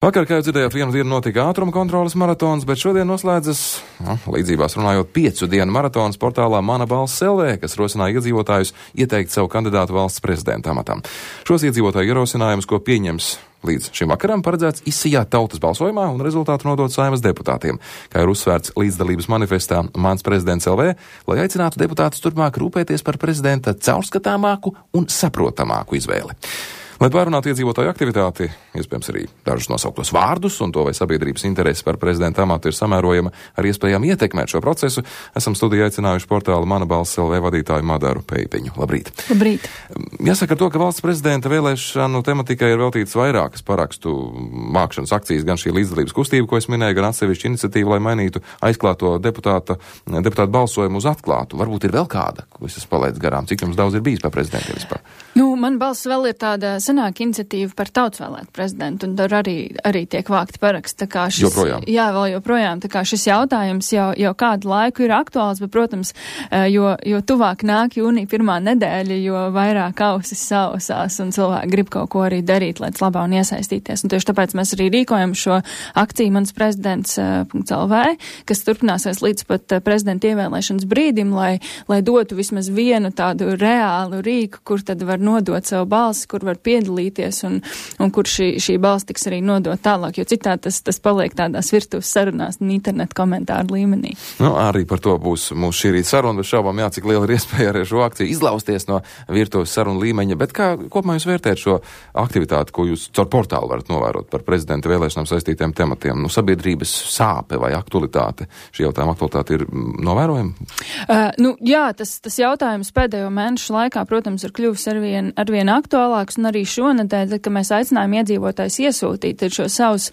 Vakar, kā jau dzirdējāt, vienu dienu notika ātruma kontroles maratons, bet šodien noslēdzas, līdzībās runājot, 5 dienu maratons portālā Mana balss LV, kas rosināja iedzīvotājus ieteikt savu kandidātu valsts prezidenta amatam. Šos iedzīvotāju ierosinājumus, ko pieņems līdz šim vakaram, paredzēts izsijāt tautas balsojumā un rezultātu nodot Saeimas deputātiem, kā ir uzsvērts līdzdalības manifestā Mans prezidents LV, lai aicinātu deputātus turpmāk rūpēties par prezidenta caurskatāmāku un saprotamāku izvēli. Lai pārunātu iedzīvotāju aktivitāti, iespējams arī dažus nosauktos vārdus un to, vai sabiedrības interesi par prezidenta amatu ir samērojama ar iespējām ietekmēt šo procesu, esam studijā aicinājuši portālu Mana balss LV vadītāju Madaru Peipiņu. Labrīt! Labrīt! Jāsaka to, ka valsts prezidenta vēlēšanu tematikai ir veltītas vairākas parakstu vākšanas akcijas, gan šī līdzdalības kustība, ko es minēju, gan atsevišķa iniciatīva, lai mainītu aizklāto deputātu balsojumu uz atklātu. Varbūt ir vēl kāda, ko es esmu palaidis garām. Cik jums daudz ir bijis par prezidentiem vispār? Man balss vēl ir tāda senāka iniciatīva par tautsvēlētu prezidentu, un tur arī tiek vākti paraksti. Joprojām? Jā, vēl joprojām. Tā kā šis jautājums jau kādu laiku ir aktuāls, bet, protams, jo tuvāk nāk jūnija pirmā nedēļa, jo vairāk ausis sausās, un cilvēki grib kaut ko arī darīt, lai labā un iesaistīties. Un tieši tāpēc mēs arī rīkojam šo akciju Mans prezidents.lv, kas turpināsies līdz pat prezidenta ievēlēšanas brīdim, lai dotu vismaz vienu tādu reālu rīku, kur tad var nodot savu balsi, kur var piedalīties un kur šī balss tiks arī nodot tālāk, jo citādi tas paliek tādās virtuves sarunās un internetu komentāru līmenī. Arī par to būs mūsu šī rīta saruna, bet šaubām cik liela ir iespēja arī šo akciju izlausties no virtuves sarunu līmeņa, bet kā kopumā jūs vērtējat šo aktivitāti, ko jūs caur portālu varat novērot par prezidenta vēlēšanām saistītiem tematiem? Sabiedrības sāpe vai aktualitāte, šī jautājuma aktualitāte ir novērojama? Jā, tas jautājums pēdējo mēnešu laikā, protams, ir kļuvis arvien aktuālāks, un arī šonedēļ, kad mēs aicinājām iedzīvotājus iesūtīt šo savus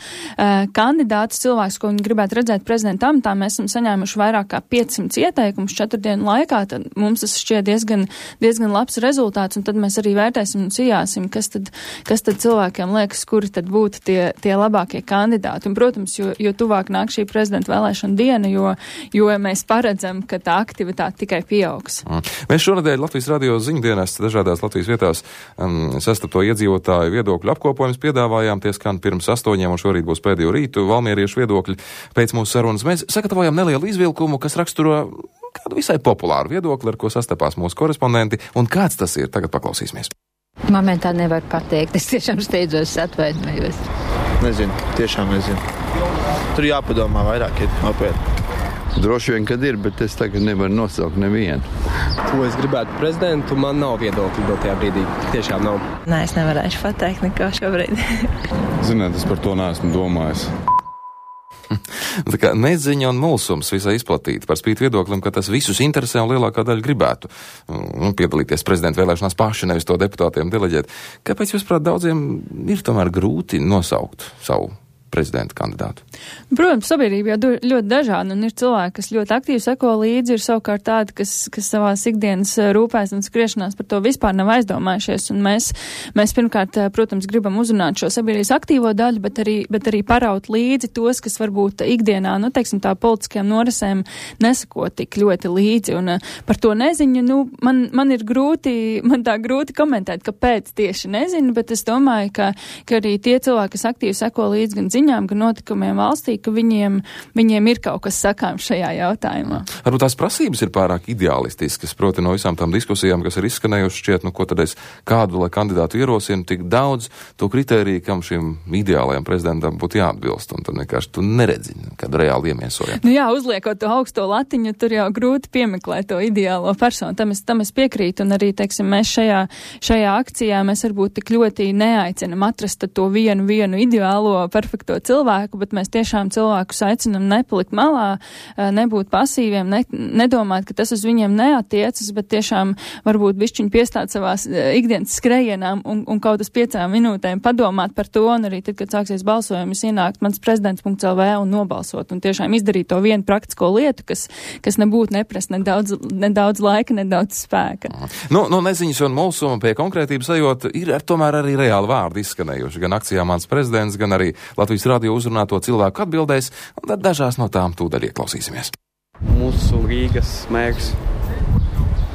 kandidātus, cilvēkus, ko viņi gribētu redzēt prezidenta amatā, mēs esam saņēmuši vairāk kā 500 ieteikumus 4 dienu laikā, tad mums tas šķiet diezgan labs rezultāts, un tad mēs arī vērtēsim un sijāsim, kas tad cilvēkiem liekas, kuri tad būtu tie labākie kandidāti. Un, protams, jo tuvāk nāk šī prezidenta vēlēšana diena, jo mēs paredzam, ka tā aktivitāte tikai pieaugs. Mēs šonedēļ Latvijas radio ziņdienas dažādās Latvijas vietās sastapto iedzīvotāju viedokļu apkopojums piedāvājām, tie skan pirms 8, un šorīt būs pēdējo rītu valmieriešu viedokļi. Pēc mūsu sarunas mēs sagatavojam nelielu izvilkumu, kas raksturo kādu visai populāru viedokli, ar ko sastapās mūsu korespondenti, un kāds tas ir, tagad paklausīsimies. Momentā nevar pateikt, es tiešām steidzos, atvainojos. Nezinu, tiešām nezinu. Tur jāpadomā vairāk, ir nopietni. Droši vien, kad ir, bet es tagad nevaru nosaukt nevienu. Ko es gribētu prezidentu, man nav viedokļi dotajā brīdī. Tiešām nav. Nē, es nevarēšu pateikt neko šobrīd. Ziniet, es par to neesmu domājis. Tā kā neziņa un mulsums visai izplatīti par spīti viedoklim, ka tas visus interesē un lielākā daļa gribētu piedalīties prezidenta vēlēšanās paši, nevis to deputātiem deleģēt. Kāpēc, jūs prāt, daudziem ir tomēr grūti nosaukt savu prezidenta kandidātu? Protams, sabiedrība jau ļoti dažāda, un ir cilvēki, kas ļoti aktīvi seko līdzi, ir savukārt tādi, kas savās ikdienas rūpēs un skriešanās par to vispār nav aizdomājušies, un mēs pirmkārt, protams, gribam uzrunāt šo sabiedrības aktīvo daļu, bet arī paraut līdzi tos, kas varbūt ikdienā, tā politiskajām norisēm nesako tik ļoti līdzi, un par to neziņu, man ir grūti komentēt, kāpēc tieši nezinu, bet es domāju, ka arī tie cilvēki, kas aktīvi seko līdzi gan ziņām, gan notikumiem valstī, ka viņiem ir kaut kas sakāms šajā jautājumā. Varbūt tās prasības ir pārāk ideālistiskas, proti no visām tām diskusijām, kas ir izskanējušas, šķiet, ko tad es kādu, lai kandidātu ierosinu, tik daudz to kritēriju, kam šim ideālajam prezidentam būtu jāatbilst, un tad vienkārši tu neredzi kādu reāli iemiesojumu. Uzliekot to augsto latiņu, tur jau grūti piemeklēt to ideālo personu. Tam es piekrītu, un arī, mēs šajā akcijā mēs varbūt tik ļoti neaicinam atrast to vienu ideālo, perfekto cilvēku, bet mēs tiešām cilvēkus aicinam nepalikt malā, nebūt pasīviem, nedomāt, ka tas uz viņiem neatiecas, bet tiešām varbūt bišķiņi piestāt savās ikdienas skrejienām un kaut uz 5 minūtēm padomāt par to, un arī tad, kad sāksies balsojums, ienākt Mans prezidents.lv un nobalsot, un tiešām izdarīt to vienu praktisko lietu, kas nebūtu neprast nedaudz laika, nedaudz spēka. Neziņas un mulsuma pie konkrētības ejot, ir tomēr arī reāli vārdi izskanējuši, gan akcijā Mans prezidents, gan arī Latvijas radio uzrunāto cilvēku atbildēs, un tad dažās no tām tūdaļ ieklausīsimies. Mūsu Rīgas mērs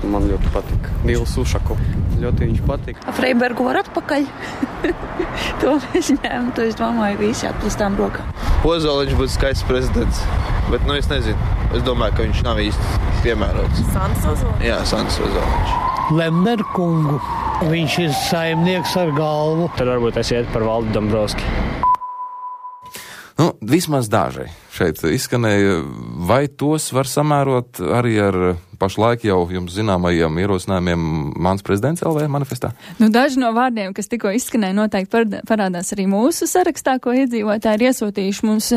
Man ļoti patika Nils Ušako. Ļoti viņš patika. Freibergu var atpakaļ. To mēs ņēmu, to es domāju, visi atplastām rokām. Ozoliņš būtu skaists prezidents, bet, es nezinu. Es domāju, ka viņš nav īsti piemērots. Sandis Ozoliņš? Jā, Sandis Ozoliņš. Lemberkungu. Viņš ir saimnieks ar galvu. Tad varbūt es iet par Valdu Dombrovski. Vismaz daži šeit izskanēja, vai tos var samērot arī ar pašlaik jau jums zināmajiem ierosinājumiem Mans prezidents LV manifestā? Daži no vārdiem, kas tikko izskanēja, noteikti parādās arī mūsu sarakstā, ko iedzīvotāji ir iesūtījuši. Mums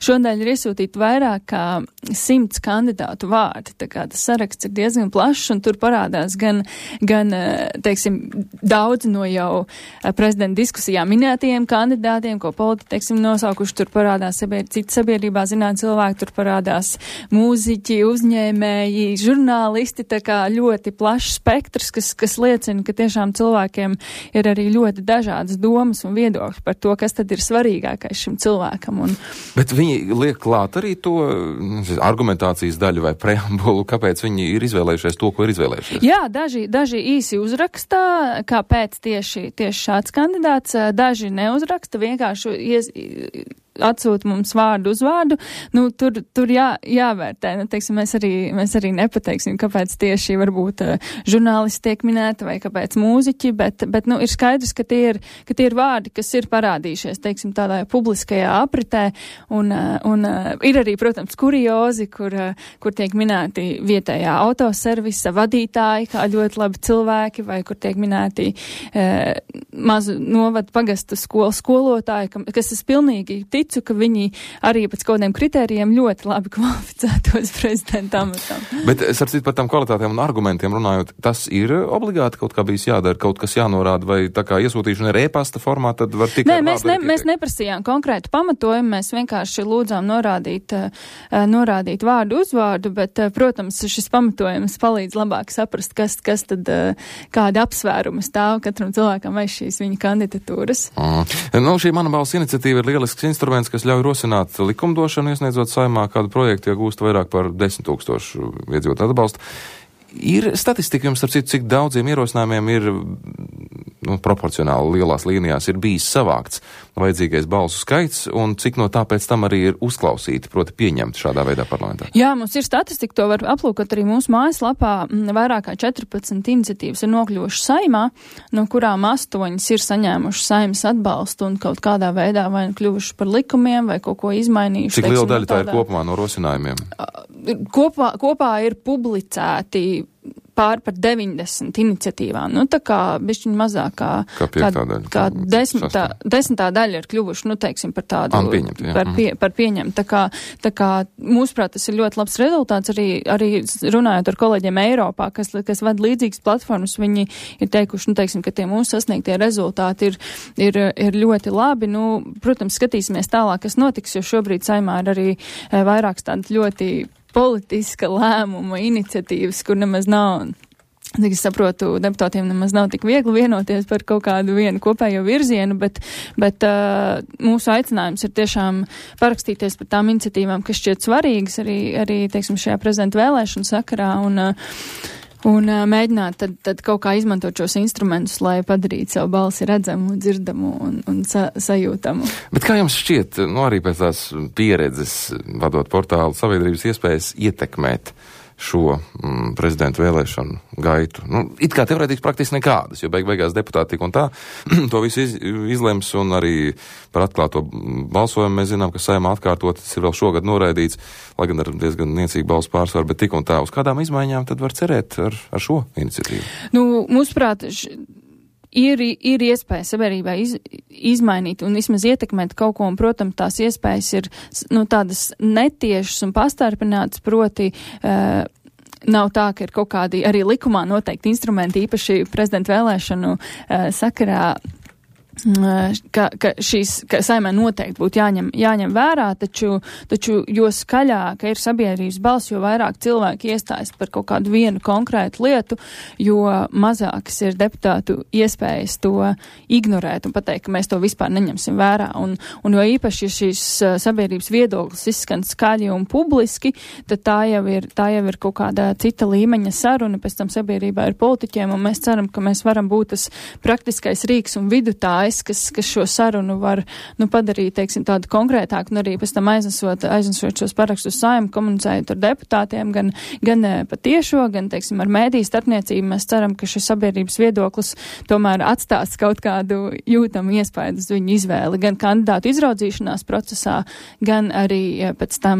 šodien ir iesūtīti vairāk kā 100 kandidātu vārdi. Tā kā tas saraksts ir diezgan plašs, un tur parādās gan teiksim, daudz no jau prezidenta diskusijā minētajiem kandidātiem, ko politiķi, teiksim, nosaukuši. Tur parādās citi sabiedrībā zināt cilvēki, tur parādās mūziķi, uzņēmēji, žurnālisti, tā kā ļoti plašs spektrs, kas liecina, ka tiešām cilvēkiem ir arī ļoti dažādas domas un viedokļi par to, kas tad ir svarīgākais šim cilvēkam. Bet viņi liek klāt arī to argumentācijas daļu vai preambulu, kāpēc viņi ir izvēlējušies to, ko ir izvēlējušies? Jā, daži īsi uzrakstā, kāpēc tieši šāds kandidāts, daži neuzraksta, vienkārši atsūta mums vārdu uz vārdu, tur jāvērtē. Teiksim, mēs arī nepateiksim, kāpēc tieši varbūt žurnālisti tiek minēti vai kāpēc mūziķi, bet ir skaidrs, ka tie ir vārdi, kas ir parādījušies, teiksim, tādā publiskajā apritē, un ir arī, protams, kuriozi, kur tiek minēti vietējā autoservisa vadītāji, kā ļoti labi cilvēki, vai kur tiek minēti mazu novadu pagastu skolotāji, kas es pilnīgi ticu, ka viņi arī pēc kaut kādiem kritērijiem ļoti labi kvalificētos prezidenta amatam. Bet, starp citu, par tām kvalitātēm un argumentiem runājot, tas ir obligāti kaut kā bijis jādara, kaut kas jānorāda, vai tā kā iesūtīšana ir e-pasta formā, tad var tikai mēs neprasījām konkrētu pamatojumu, mēs vienkārši lūdzām norādīt vārdu uzvārdu, bet, protams, šis pamatojums palīdz labāk saprast, kas tad, kāda apsvēruma stāv katram cilvēkam aiz šīs viņa kandidatūras. Šī Mana balss iniciatīva ir lielisks instruments, kas ļauj rosināt likumdošanu, iesniedzot Saeimā kādu projektu, ja gūst vairāk par 10 000 iedzīvotāju atbalstu. Ir statistika jums, starp citu, cik daudziem ierosinājumiem ir proporcionāli lielās līnijās ir bijis savākts vajadzīgais balsu skaits, un cik no tā pēc tam arī ir uzklausīti, proti pieņemti šādā veidā parlamentā? Jā, mums ir statistika, to var aplūkot arī mūsu mājaslapā. Vairāk kā 14 iniciatīvas ir nokļuvušas Saeimā, no kurām 8 ir saņēmušas Saeimas atbalstu un kaut kādā veidā vai kļuvuši par likumiem vai kaut ko izmainījuši. Cik liela daļa tā ir kopumā no rosinājumiem? Kopā ir publicēti pār par 90 iniciatīvām. Tā kā bišķiņ mazāk kā desmitā daļa ir kļuvuši, teiksim, par tādu par pieņemt. Tā kā mūsuprāt, tas ir ļoti labs rezultāts. Arī runājot ar kolēģiem Eiropā, kas vada līdzīgas platformas, viņi ir teikuši, teiksim, ka tie mūsu sasniegtie rezultāti ir ļoti labi. Protams, skatīsimies tālāk, kas notiks, jo šobrīd Saeimā ir arī vairākas tādas ļoti politiska lēmuma iniciatīvas, kur nemaz nav, cik es saprotu, deputātiem nemaz nav tik viegli vienoties par kaut kādu vienu kopējo virzienu, bet mūsu aicinājums ir tiešām parakstīties par tām iniciatīvām, kas šķiet svarīgas arī teiksim, šajā prezidenta vēlēšanu sakarā un mēģināt tad kaut kā izmantot šos instrumentus, lai padarītu savu balsi redzamu, dzirdamu un sajūtamu. Bet kā jums šķiet, arī pēc tās pieredzes, vadot portālu, sabiedrības iespējas ietekmēt šo prezidentu vēlēšanu gaitu? It kā teorētiski praktiski nekādas, jo beigās deputāti tik un tā to visu izlems, un arī par atklāto balsojumu mēs zinām, ka Saeimā atkārtot, tas ir vēl šogad noraidīts, lai gan ar diezgan niecīgu balsu pārsvaru, bet tik un tā, uz kādām izmaiņām tad var cerēt ar šo iniciatīvu? Mūsuprāt, ir iespēja sabiedrībā izmainīt un vismaz ietekmēt kaut ko, un, protams, tās iespējas ir tādas netiešas un pastarpinātas, proti nav tā, ka ir kaut kādi arī likumā noteikti instrumenti, īpaši prezidenta vēlēšanu sakarā ka saimē noteikti būtu jāņem vērā, taču jo skaļāka ir sabiedrības balss, jo vairāk cilvēki iestājas par kaut kādu vienu konkrētu lietu, jo mazākas ir deputātu iespējas to ignorēt un pateikt, ka mēs to vispār neņemsim vērā. Un jo īpaši, ja šīs sabiedrības viedoklis izskan skaļi un publiski, tad tā jau ir kaut kāda cita līmeņa saruna, pēc tam sabiedrībā ir politiķiem, un mēs ceram, ka mēs varam būt tas praktiskais rīks un vidutājs, kas šo sarunu var padarīt, teiksim, tādu konkrētāku un arī pēc tam aiznesot šos parakstus Saeimu, komunicējot ar deputātiem, gan patiešo, gan, teiksim, ar mēdīju starpniecību. Mēs ceram, ka šis sabiedrības viedoklis tomēr atstās kaut kādu jūtamu iespēju uz viņu izvēli, gan kandidātu izraudzīšanās procesā, gan arī pēc tam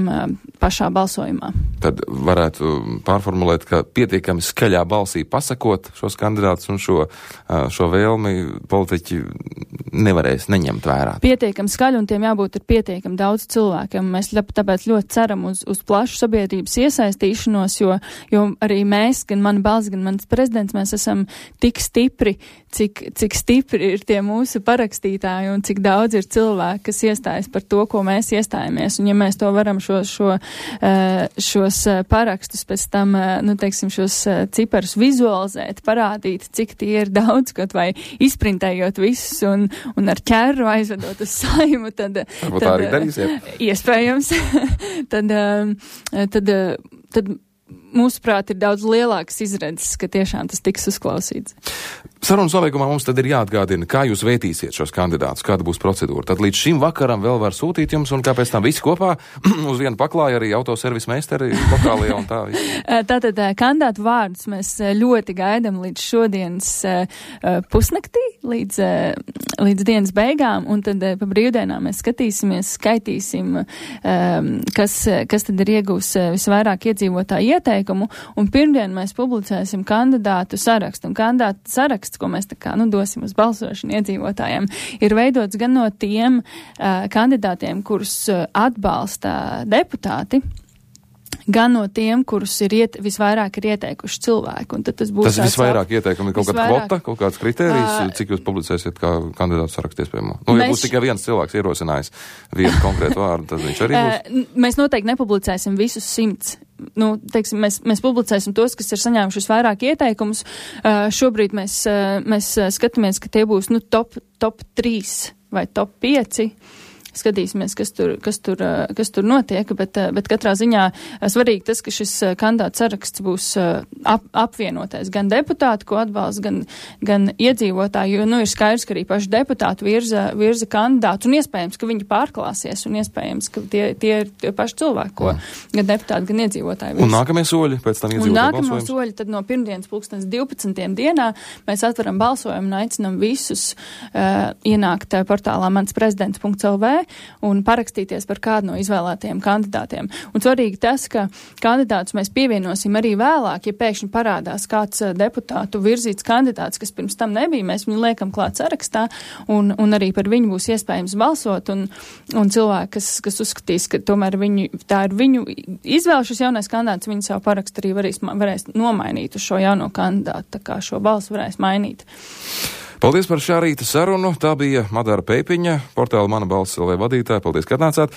pašā balsojumā. Tad varētu pārformulēt, ka pietiekami skaļā balsī pasakot šos kandidātus un šo vēlmi politiķi nevarēs neņemt vērā. Pietiekami skaļi, un tiem jābūt ir pietiekami daudz cilvēkiem. Mēs tāpēc ļoti ceram uz plašu sabiedrības iesaistīšanos, jo arī mēs, gan mana balss, gan mans prezidents, mēs esam tik stipri, cik stipri ir tie mūsu parakstītāji un cik daudz ir cilvēki, kas iestājas par to, ko mēs iestājamies. Un ja mēs to varam šos parakstus pēc tam, teiksim, šos ciparus vizualizēt, parādīt, cik tie ir daudz, kaut vai izprintējot visus un ar ķeru aizvedot uz Saimu, tad tā arī darīsiet. Iespējams. tad mūsuprāt, ir daudz lielākas izredzes, ka tiešām tas tiks uzklausīts. Sarunas nobeigumā mums tad ir jāatgādina, kā jūs vērtīsiet šos kandidātus, kāda būs procedūra. Tad līdz šim vakaram vēl var sūtīt jums, un kāpēc tam visi kopā uz vienu paklāju arī autoservis meisteri lokālajā un tā. Tātad kandidātu vārdus mēs ļoti gaidam līdz šodienas pusnaktī, līdz dienas beigām, un tad pa brīvdienām mēs skatīsimies, skaitīsim, kas tad ir iegūs visvairāk iedzīvotāju ieteikumu, un pirmdien mēs publicēsim kandidātu sarakstu. Un kandidātu saraksts, ko mēs dosim uz balsošanu iedzīvotājiem, ir veidots gan no tiem kandidātiem, kurus atbalsta deputāti, gan no tiem, kurus visvairāk ir ieteikuši cilvēki. Un tad tas būs visvairāk ieteikumi, kaut kāda kvota, kaut kāds kritērijs, cik jūs publicēsiet kā kandidātu sarakstu iespējamo. Ja būs tikai viens cilvēks ierosinājis vienu konkrētu vārdu, tad viņš arī būs. Mēs noteikti nepublicēsim visus 100. Mēs publicēsim tos, kas ir saņēmuši vairāk ieteikumus. Šobrīd mēs skatāmies, ka tie būs top 3 vai top 5. Skatīsimies, kas tur notiek, bet katrā ziņā svarīgi tas, ka šis kandidātu saraksts būs apvienotais gan deputāti, ko atbalsta, gan iedzīvotāji, jo ir skaidrs, ka arī paši deputāti virza kandidātus, un iespējams, ka viņi pārklāsies, un iespējams, ka tie ir tie paši cilvēki, ko gan deputāti, gan iedzīvotāji virza. Un nākamie soļi pēc tam iedzīvotāju balsojums? Un nākamie soļi tad no pirmdienas 12. dienā mēs atveram balsojumu un aicinam visus ienākt portālā mansprezidents.lv un parakstīties par kādu no izvēlētajiem kandidātiem. Un svarīgi tas, ka kandidātus mēs pievienosim arī vēlāk, ja pēkšņi parādās kāds deputātu virzīts kandidāts, kas pirms tam nebija, mēs viņu liekam klāt sarakstā, un arī par viņu būs iespējams balsot, un cilvēki, kas uzskatīs, ka tomēr tā ir viņu izvēle šis jaunais kandidāts, viņi savu parakstu arī varēs nomainīt uz šo jauno kandidātu, tā kā šo balsu varēs mainīt. Paldies par šā rīta sarunu. Tā bija Madara Peipiņa, portāla Mana balss LV vadītāja. Paldies, ka atnācāt.